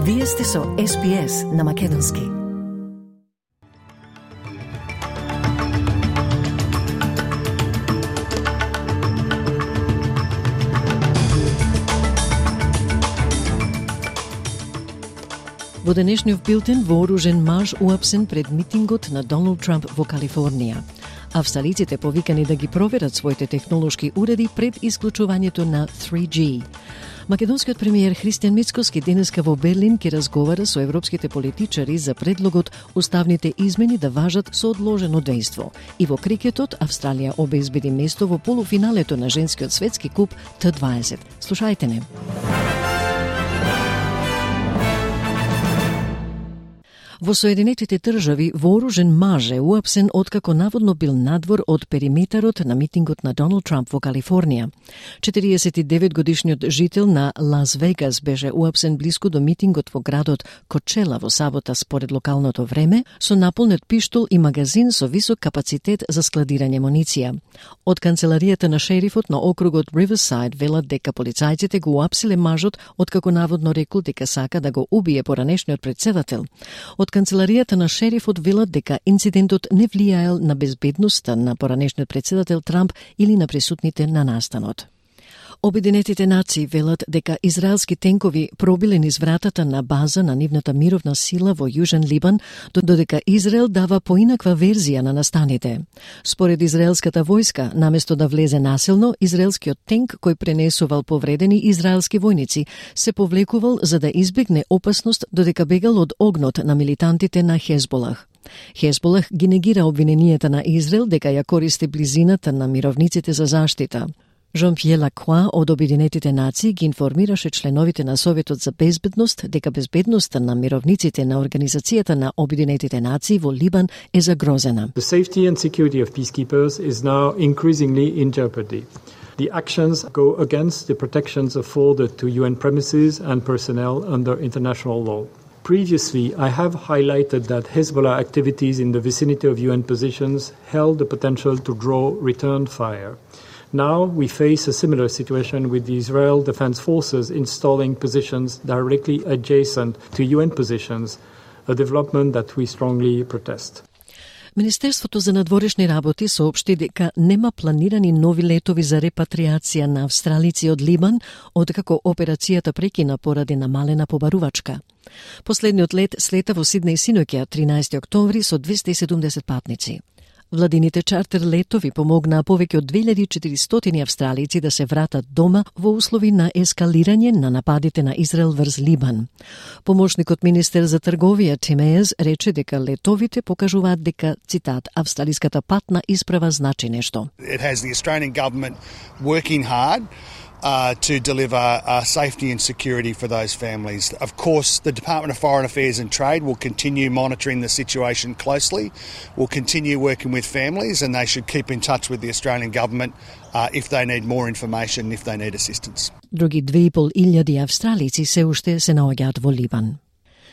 Вие сте со SPS на Македонски. Во денешниот билтен вооружен маж уапсен пред митингот на Доналд Трамп во Калифорнија. Австралиците повикани да ги проверат своите технолошки уреди пред исклучувањето на 3G. Македонскиот премиер Христијан Мицкоски денеска во Берлин ќе разговара со европските политичари за предлогот уставните измени да важат со одложено дејство. И во крикетот Австралија обезбеди место во полуфиналето на женскиот светски куп Т20. Слушајте не. Во Соединетите држави вооружен маж е уапсен откако наводно бил надвор од периметарот на митингот на Доналд Трамп во Калифорнија. 49-годишниот жител на Лас Вегас беше уапсен блиску до митингот во градот Кочела во сабота според локалното време со наполнет пиштол и магазин со висок капацитет за складирање муниција. Од канцеларијата на шерифот на округот Риверсайд велат дека полицајците го уапсиле мажот откако наводно рекол дека сака да го убие поранешниот претседател. Од канцеларијата на шерифот велат дека инцидентот не влијаел на безбедноста на поранешниот претседател Трамп или на присутните на настанот. Обединетите нации велат дека израелски тенкови пробиле низ вратата на база на нивната мировна сила во Јужен Либан, додека Израел дава поинаква верзија на настаните. Според израелската војска, наместо да влезе насилно, израелскиот тенк кој пренесувал повредени израелски војници се повлекувал за да избегне опасност додека бегал од огнот на милитантите на Хезболах. Хезболах ги негира обвиненијата на Израел дека ја користи близината на мировниците за заштита. Жан-Пиер Лакроа од Обединетите нации ги информираше членовите на Советот за безбедност дека безбедноста на мировниците на Организацијата на Обединетите нации во Либан е загрозена. The safety and security of peacekeepers is now increasingly in jeopardy. The actions go against the protections afforded to UN premises and personnel under international law. Previously, I have highlighted that Hezbollah activities in the vicinity of UN positions held the potential to draw return fire. Now we face a similar situation with the Israel Defense Forces installing positions directly adjacent to UN positions, a development that we strongly protest. Министерството за надворешни работи соопшти дека нема планирани нови летови за репатриација на австралици од Либан, откако операцијата прекина поради намалена побарувачка. Последниот лет слета во Сиднеј синоќа 13 октомври со 270 патници. Владините чартер летови помогнаа повеќе од 2400 австралици да се вратат дома во услови на ескалирање на нападите на Израел врз Либан. Помошникот министер за трговија Тим Ејерс рече дека летовите покажуваат дека, цитат, австралиската патна исправа значи нешто. It has the Australian government working hard to deliver safety and security for those families. Of course, the Department of Foreign Affairs and Trade will continue monitoring the situation closely. We'll continue working with families and they should keep in touch with the Australian government if they need more information, if they need assistance. Други 2500 австралици се уште се наоѓаат во Либан.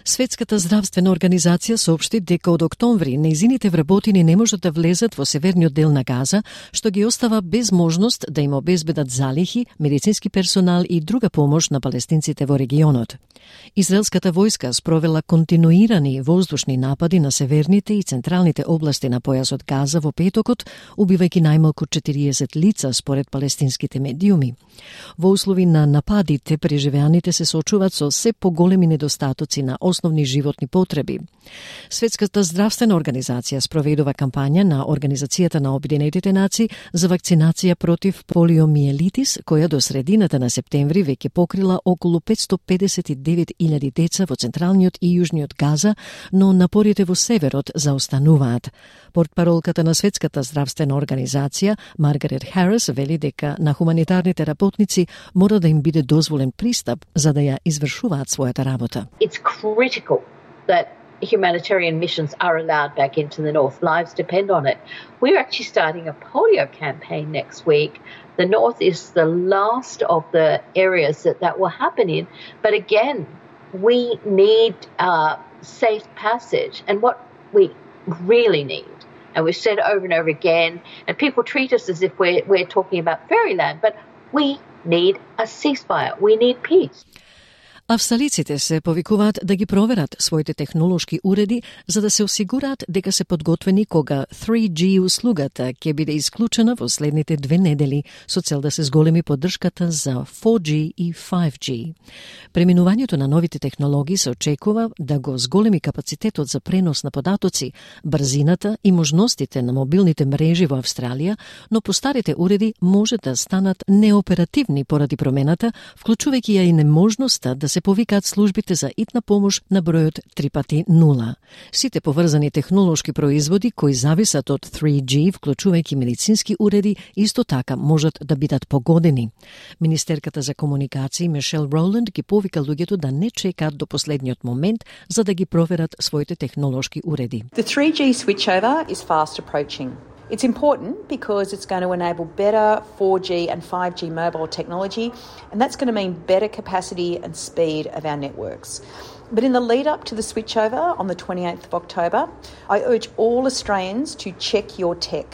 Светската здравствена организација соопшти дека од октомври нејзините вработени не можат да влезат во северниот дел на Газа, што ги остава без можност да им обезбедат залихи, медицински персонал и друга помош на палестинците во регионот. Израелската војска спровела континуирани воздушни напади на северните и централните области на појасот Газа во петокот, убивајќи најмалку 40 лица според палестинските медиуми. Во услови на нападите, преживеаните се соочуваат со се поголеми недостатоци на основни животни потреби. Светската здравствена организација спроведува кампања на Организацијата на Обединетите нации за вакцинација против полиомиелитис, која до средината на септември веќе покрила околу 559.000 деца во централниот и јужниот Газа, но напорите во северот заостануваат. Портпаролката на Светската здравствена организација, Маргарет Харис, вели дека на хуманитарните работници мора да им биде дозволен пристап за да ја извршуваат својата работа. It's critical that humanitarian missions are allowed back into the north. Lives depend on it. We're actually starting a polio campaign next week. The north is the last of the areas that will happen in. But again, we need safe passage. And what we really need, and we've said over and over again, and people treat us as if we're talking about fairyland, but we need a ceasefire. We need peace. Австралиците се повикуваат да ги проверат своите технолошки уреди за да се осигураат дека се подготвени кога 3G услугата ќе биде исклучена во следните 2 недели со цел да се зголеми поддршката за 4G и 5G. Преминувањето на новите технологии се очекува да го зголеми капацитетот за пренос на податоци, брзината и можностите на мобилните мрежи во Австралија, но постарите уреди може да станат неоперативни поради промената, вклучувајќи ја и неможноста да се повикаат службите за итна помош на бројот 3x0. Сите поврзани технолошки производи кои зависат од 3G, вклучувајќи медицински уреди, исто така можат да бидат погодени. Министерката за комуникации Мишел Роланд ги повика луѓето да не чекаат до последниот момент за да ги проверат своите технолошки уреди. The 3G switchover is fast approaching. It's important because it's going to enable better 4G and 5G mobile technology, and that's going to mean better capacity and speed of our networks. But in the lead up to the switchover on the 28th of October, I urge all Australians to check your tech,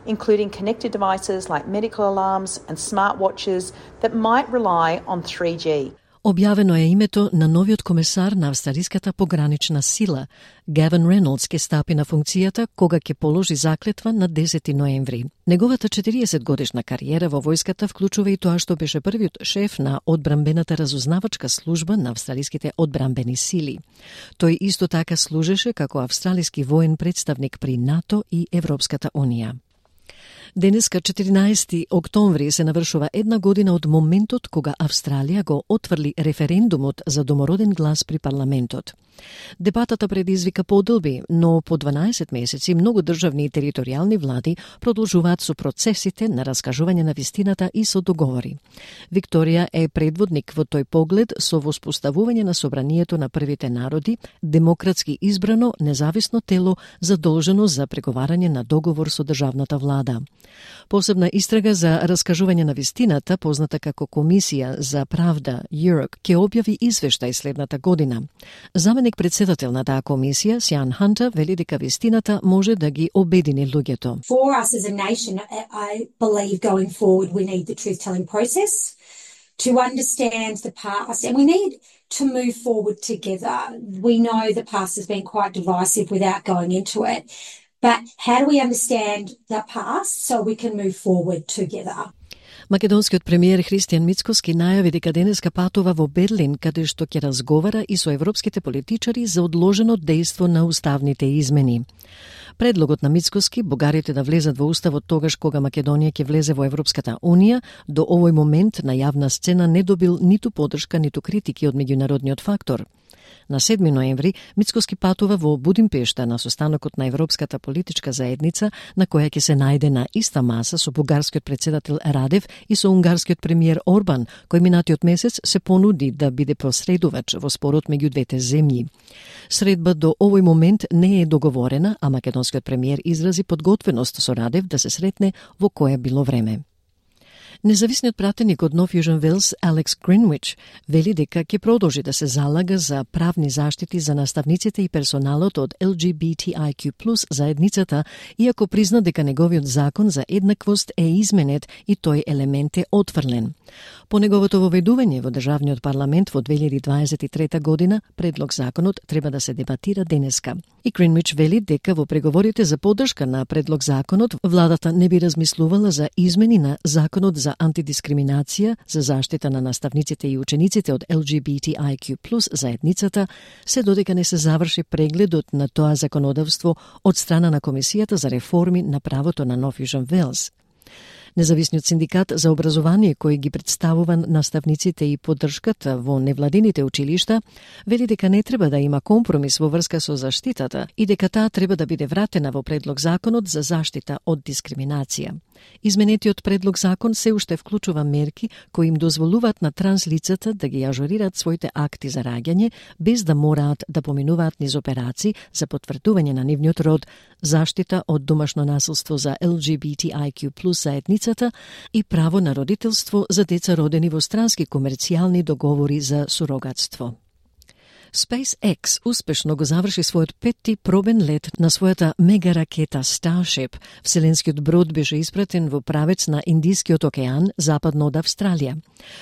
including connected devices like medical alarms and smartwatches that might rely on 3G. Објавено е името на новиот комесар на австралиската погранична сила. Гавин Рейнолдс ќе стапи на функцијата кога ќе положи заклетва на 10 ноември. Неговата 40-годишна кариера во војската вклучува и тоа што беше првиот шеф на одбранбената разузнавачка служба на австралиските одбранбени сили. Тој исто така служеше како австралиски воен представник при НАТО и Европската унија. Денеска, 14 октомври, се навршува 1 година од моментот кога Австралија го отврли референдумот за домороден глас при парламентот. Дебатата предизвика подолби, но по 12 месеци многу државни и територијални влади продолжуваат со процесите на раскажување на вистината и со договори. Викторија е предводник во тој поглед со воспоставување на собранието на првите народи, демократски избрано независно тело задолжено за преговарање на договор со државната влада. Посебна истрага за раскажување на вистината, позната како Комисија за правда Europe, ќе објави извештај следната година. Заменик председател на таа комисија, Сиан Хантер, вели дека вистината може да ги обедини луѓето. For us as a nation, I believe going forward we need the truth-telling process to understand the past, and we need to move forward together. We know the past has been quite divisive without going into it, but how do we understand the past so we can move forward together? Македонскиот премиер Христијан Мицкоски најави дека денеска патува во Берлин, каде што ќе разговара и со европските политичари за одложено дејство на уставните измени. Предлогот на Мицкоски бугарите да влезат во уставот тогаш кога Македонија ќе влезе во Европската унија, до овој момент на јавна сцена не добил ниту поддршка, ниту критики од меѓународниот фактор. На 7 ноември Мицкоски патува во Будимпешта на состанокот на Европската политичка заедница, на која ќе се најде на иста маса со бугарскиот председател Радев и со унгарскиот премиер Орбан, кој минатиот месец се понуди да биде посредувач во спорот меѓу двете земји. Средба до овој момент не е договорена, а македонскиот премиер изрази подготвеност со Радев да се сретне во кое било време. Независниот пратеник од Нов Јужен Велс, Алекс Гринвич, вели дека ќе продолжи да се залага за правни заштити за наставниците и персоналот од LGBTIQ+ заедницата, иако призна дека неговиот закон за еднаквост е изменет и тој елемент е отфрлен. По неговото воведување во државниот парламент во 2023 година, предлог законот треба да се дебатира денеска. И Гринвич вели дека во преговорите за поддршка на предлог законот, владата не би размислувала за измени на законот за антидискриминација, за заштита на наставниците и учениците од LGBTIQ+ заедницата, се додека не се заврши прегледот на тоа законодавство од страна на Комисијата за реформи на правото на Нов Јужен Велс. Независниот синдикат за образование кој ги представува наставниците и поддршката во невладините училишта вели дека не треба да има компромис во врска со заштитата и дека таа треба да биде вратена во предлог законот за заштита од дискриминација. Изменетиот предлог закон се уште вклучува мерки кои им дозволуваат на транслицата да ги ажурираат своите акти за раѓање без да мораат да поминуваат низ операции за потврдување на нивниот род, заштита од домашно насилство за LGBTIQ+ заедницата и право на родителство за деца родени во странски комерцијални договори за сурогатство. SpaceX успешно го заврши својот 5-ти пробен лет на својата мегаракета Starship. Вселенскиот брод беше испратен во правец на Индискиот океан, западно од Австралија.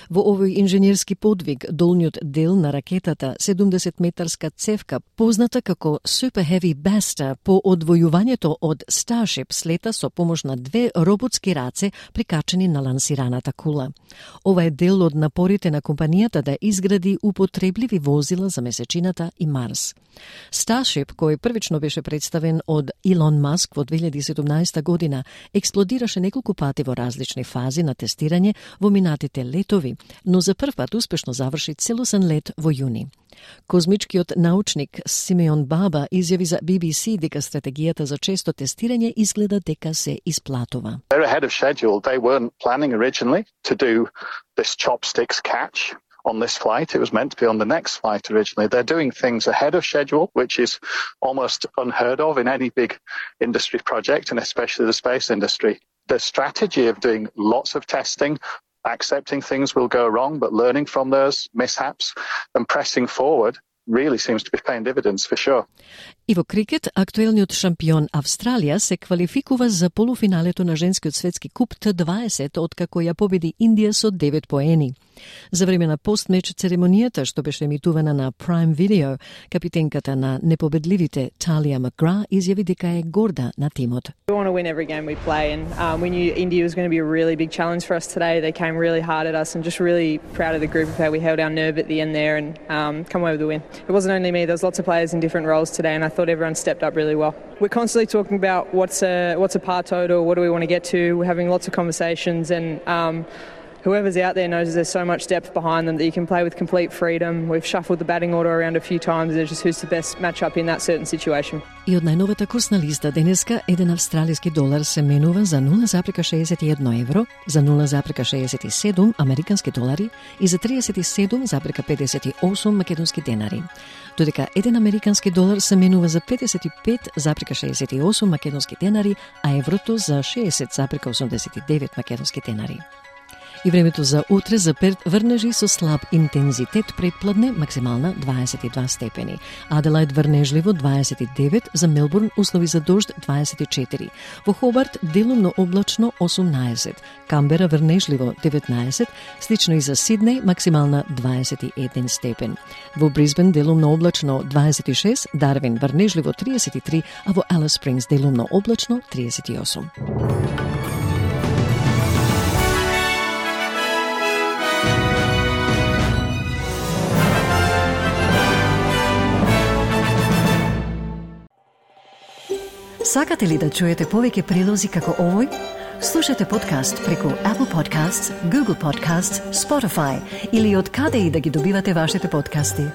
Во овој инженерски подвиг, долниот дел на ракетата, 70-метарска цевка, позната како Super Heavy Basta, по одвојувањето од Starship слета со помош на 2 роботски раце прикачени на лансираната кула. Ова е дел од напорите на компанијата да изгради употребливи возила за месечината и Марс. Starship, кој првично беше представен од Илон Маск во 2017 година, експлодираше неколку пати во различни фази на тестирање во минатите летови, но за прв пат успешно заврши целосен лет во јуни. Козмичкиот научник Симеон Баба изјави за BBC дека стратегијата за често тестирање изгледа дека се исплатува. They're ahead of schedule. They weren't planning originally to do this chopsticks catch on this flight. It was meant to be on the next flight originally. They're doing things ahead of schedule, which is almost unheard of in any big industry project, and especially the space industry. The strategy of doing lots of testing, accepting things will go wrong, but learning from those mishaps and pressing forward really seems to be paying dividends for sure. И во крикет, актуелниот шампион Австралија се квалификува за полуфиналето на женскиот светски куп Т20, откако ја победи Индија со 9 поени. За време на постмеч церемонијата, што беше емитувана на Prime Video, капитенката на непобедливите Талија Макгра изјави дека е горда на тимот. We want to win every game we play, and we knew India was going to be a really big challenge for us today. They came really hard at us, and just really proud of the group of how we held our nerve at the end there and come away with the win. It wasn't only me, there was lots of players in different roles today, and I thought everyone stepped up really well. We're constantly talking about what's a par total, what do we want to get to. We're having lots of conversations, and whoever's out there knows there's so much depth behind them that you can play with complete freedom. We've shuffled the batting order around a few times. It's just who's the best matchup in that certain situation. И од најновата курсна листа денеска, еден австралиски долар се менува за 0,61 евро, за 0,67 американски долари и за 37,58 македонски денари. Додека еден американски долар се менува за 55,68 македонски денари, а еврото за 60,89 македонски денари. И времето за утре за Перт врнежи со слаб интензитет предпладне, максимална 22 степени. Аделајд врнежливо 29, за Мелбурн услови за дожд 24. Во Хобарт делумно облачно 18, Камбера врнежливо 19, слично и за Сиднеј максимална 21 степен. Во Брисбен делумно облачно 26, Дарвин врнежливо 33, а во Алис Спрингс делумно облачно 38. Сакате ли да чуете повеќе прилози како овој? Слушате подкаст преку Apple Podcasts, Google Podcasts, Spotify или од каде и да ги добивате вашите подкасти.